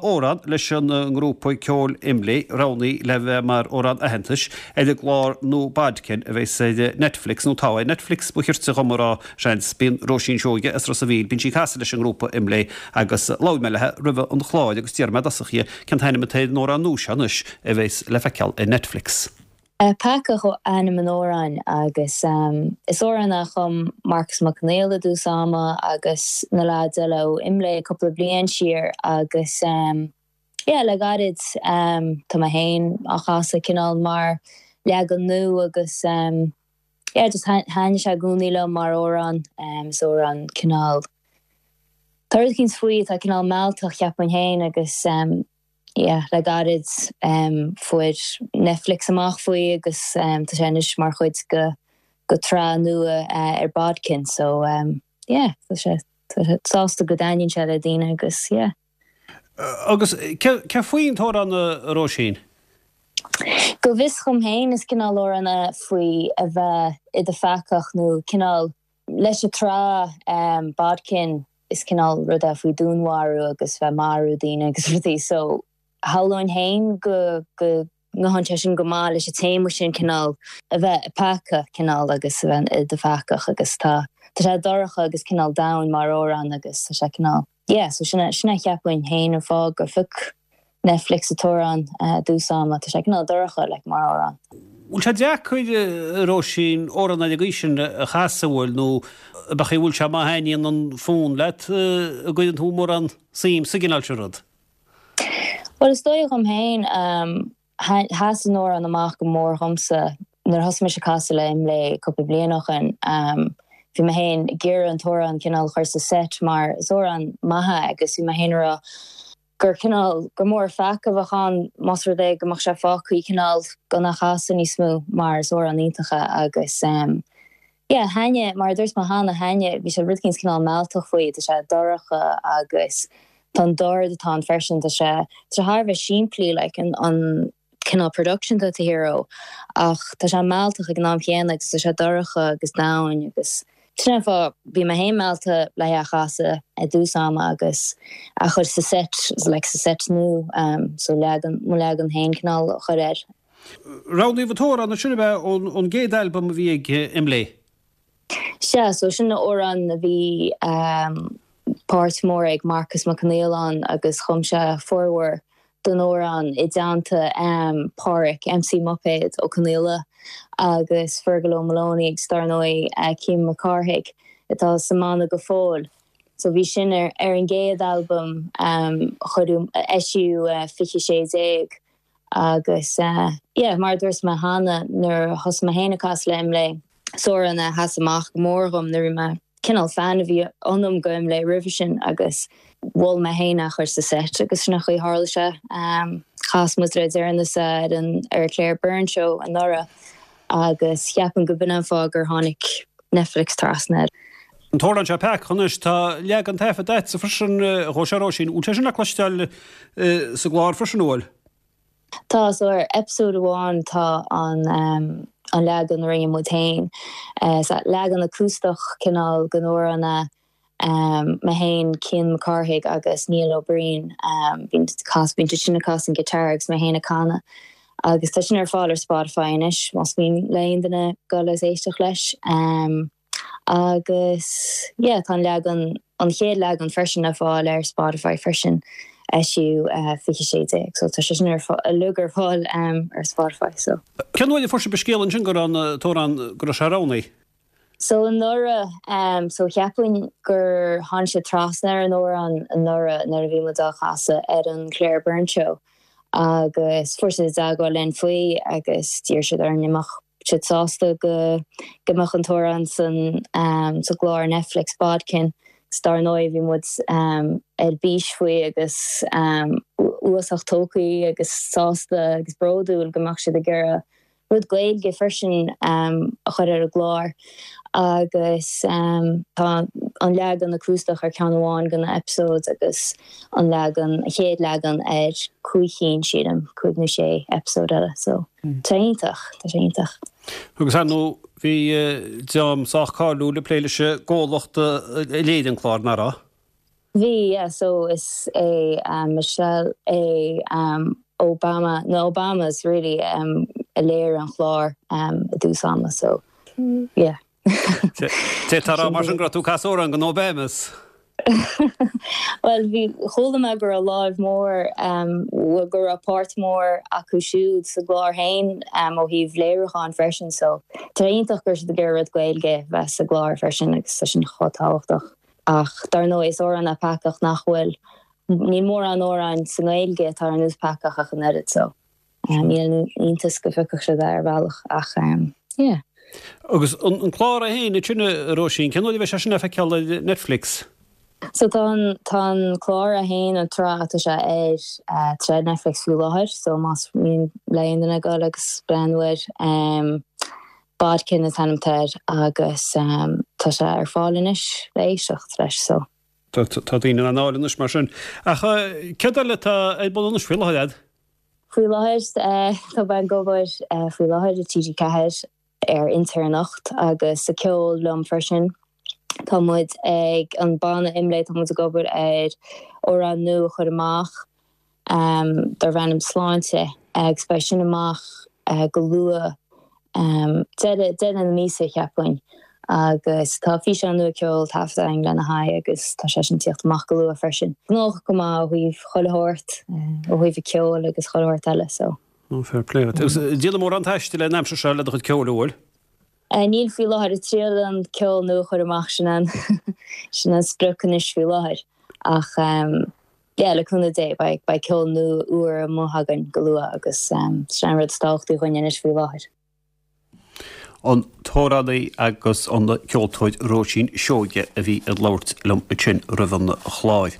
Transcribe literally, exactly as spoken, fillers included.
amhrán leis an ngrúpa ceoil Imlé roghnaithe le bheith mar amhrán aitheantais ar an gclár nua Bodkin a bheas ar Netflix, nó atá ar Netflix ba chirte dhom a rá, seans. Bíonn Róisín Seoige as Ros a' Mhíl, bíonn sí ag casadh leis an ngrúpa Imlé agus labhair mé léi roimhe an chláir agus d'iarr mé i dtosach uirthi cén t-ainm atá ar an amhrán nua seo anois a bheas le feiceáil ar Netflix. Peacach ainm an amhráin agus is amhrán a chum Marcus Mac Conghail i dtús ama agus na leaids eile ó Imlé cúpla bliain siar agus yeah le gairid tá mé féin á chasadh cineál mar leagan nua agus yeah just thaitnigh sé i gcónaí liom mar amhrán is amhrán cineál tá rud éicint faoi atá cineál mealltach cheapfainn féin agus yeah le gairid fuair Netflix amach faoi agus tá sé anois mar chuid go go tsraith nua ar Bodkin so yeah tá sé sásta go dtaitníonn sé le daoine agus yeah. Agus cé faoin t-amhrán a Róisín? Go bhfios dhom féin is cineál amhrán é faoi a bheith i do pheacach nó cineál leis an tsraith Bodkin is cineál rud é faoi dúnmharú agus bheith marú daoine agus rudaí so shamhlóinn féin go go ngabhann sé sin go maith leis an téama sin cineál a bheith i peaca cineál agus a bheith i do pheacach agus tá tá sé dorcha agus cineál domhain mar amhrán agus tá sé cineál yeah so sin sin a cheapfainn féin an fáth gur phioc Netflix an t-amhrán i dtús ama tá sé cineál dorcha like mar amhrán. Bhfuil sé deacair Róisín amhrán ar an gcaoi sin a chasadh bhfuil nó b'fhéidir bhfuil sé má thaitníonn an fonn leat a gcuireann tú mórán suim sa gcineál seo rud? Well is dóigh dhom féin sheas an amhrán amach go mór dhomsa nuair thosaigh mise ag casadh le Imlé cúpla bliain ó shin. Bhí mé féin ag iarraidh an t-amhrán cineál chur sa set mar is amhrán maith é agus bhí mé féin ag rá gur cineál gur mór peaca a bheadh ann más rud é go mbeadh sé fágtha cineál gan a chasadh níos mó mar is amhrán iontach é agus um, yeah, thaitnigh mar a dúirt mé cheana thaitnigh bhí sé rud éicint cineál mealltach faoi tá sé dorcha agus tá an dord atá ann freisin tá sé tá sé thar a bheith simplí like an an cineál production tá hero ach tá sé mealltach ag an am chéanna agus tá sé dorcha agus domhain agus sin fá bhí mé féin meallta le é a chasadh i dtús ama agus a chur sa set like sa set nua um, so leagan mo leagan féin cineál a chur air. Roghnaíodh an t-amhrán sin a bheith ón gcéad albam a bhí ag Imlé. Sea, so sin amhrán a bhí um, páirt mór ag Marcus Mac Conghail ann agus chum sé formhór den amhrán i dteannta um, Páraic MC Muipéad Ó Conghaile agus Fergal O'Maloney agus dar ndóigh uh, Cian Mac Cárthaigh atá sa mbanna go fóill. So bhí sin ar, ar an gcéad albam um, chuir eisíodh uh, fiche sé déag agus uh, yeah, mar dúirt mé cheana nuair thosaigh mé féin ag casadh le Imlé is amhrán a sheas amach go mór dhom nuair mé cineál fan a bhí ionam go Imlé roimhe sin agus mhol mé féin a chur sa set agus sin an chaoi tharla sé um, chas muid le deireanas ar an ar Claire Byrne show anuraidh agus cheapaim go b'in an fáth gur tháinig Netflix trasna. An t-amhrán seo Peacach anois tá leagan taifeadta agatsa freisin dhó seo Róisín, bhfuil sé sin le cloisteáil sa gclár freisin bhfuil? Tá so ar episode amháin tá an um, an leagan a rinne muid féin. Uh, leagan acústach cineál den amhrán um, mé féin Cian Mac Cárthaigh agus Neil Ó Briain um, bíonn cas bíonn sin ag casadh an guitar agus mé féin ag canadh. Agus tá sin ar fáil ar Spotify anois más mian le aon duine dul is éisteacht leis. Um, agus yeah, tá leagan an chéad leagan freisin ar fáil ar Spotify freisin eisíodh uh, fiche sé déag, so tá sé sin ar uilig ar fáil um, ar Spotify so. Cén uair a fuair sibh scéal ansin go an t-amhrán go raibh sé roghnaithe? So anuraidh um, so cheapfainn gur tháinig sé trasna ar an amhrán anuraidh nuair a bhí muid á chasadh ar an Claire Byrne show agus fuair siad i dteagmháil linn faoi agus d'iarr siad orainn an mbeadh siad sásta go go mbeadh an t-amhrán san um, sa gclár Netflix Bodkin. Dar ndóigh bhí muid um, ar bís faoi agus um, uasach tógtha agus sásta agus bródúil go mbeadh siad ag iarraidh rud Gaeilge freisin um, a chur ar an gclár agus um, tá an leagan acústach ar ceann amháin de na episodes agus an leagan a chéad leagan ar cúig cinn sílim cúig nó sé episode eile so mm. tá iontach tá sé iontach. Agus nó bhí dream sách cáiliúil ag plé leis an gcomhlacht a léirigh an clár nach raibh? Bhí yeah, so is é um, Michelle é um, Obama na Obamas really um, a léirigh an clár um, i dtús ama so yeah. Tá mar sin gur tú casadh amhrán do na Obamas. Well bhí chuala mé gur a láimh mór um, gur a páirt mór acu siúd sa gclár féin um, ó thaobh léiriúcháin freisin so Tá iontach gur de gur Gaeilge bheith sa gclár freisin agus sin chomh tábhachtach. Ach dar ndóigh is amhrán é Peacach nach bhfuil ní mórán amhrán sa nGaeilge atá ar nós Peacach ach an oiread so. Níl iontas go bhfeicfeadh sé ar bhealach ach um, yeah. Agus an clár é féin sin Róisín cén uair a bheidh sé sin le feiceáil ar Netflix. So tá tá clár a haon an tráth sé ar uh, tre Netflix faoi láthair, so más mian le duine dul agus breathnú air um, Bodkin is ainm air agus um, tá sé ar fáil anois le éisteacht leis so. Tá daoine an álas mar sin. Ach cad eile tá ar bun anois faoi láthair? Faoi láthair tá mé ag obair faoi láthair i TG Ceathair ar Inter Anocht agus sa ceol liom freisin. Tá muid ag an banna Imlé tá muid ag obair ar amhrán nua a chur amach um, darb ainm Sláinte agus beidh sin amach uh, go luath um, deireadh na míosa cheapfainn. agus tá físeán nua ceol taifeadta lena haghaidh agus tá sé sin ag teacht amach go luath freisin. Gnóthach go maith ó thaobh chuile shórt ó thaobh ceol agus chuile shórt eile so. Fair play. Déanamh mórán taistil an aimsir seo le do chuid ceoil bhfuil? Níl faoi láthair triail an ceol nua a chur amach sin an sin an sprioc anois faoi láthair ach um, yeah, le cúnamh Dé beidh ceol nua úr amuigh againn go luath agus um, sin rud is tábhachtaí dhúinn anois faoi láthair. An t-amhránaí agus an ceoltóir Róisín Seoige a bhí ag labhairt liom ansin roimh an chlár.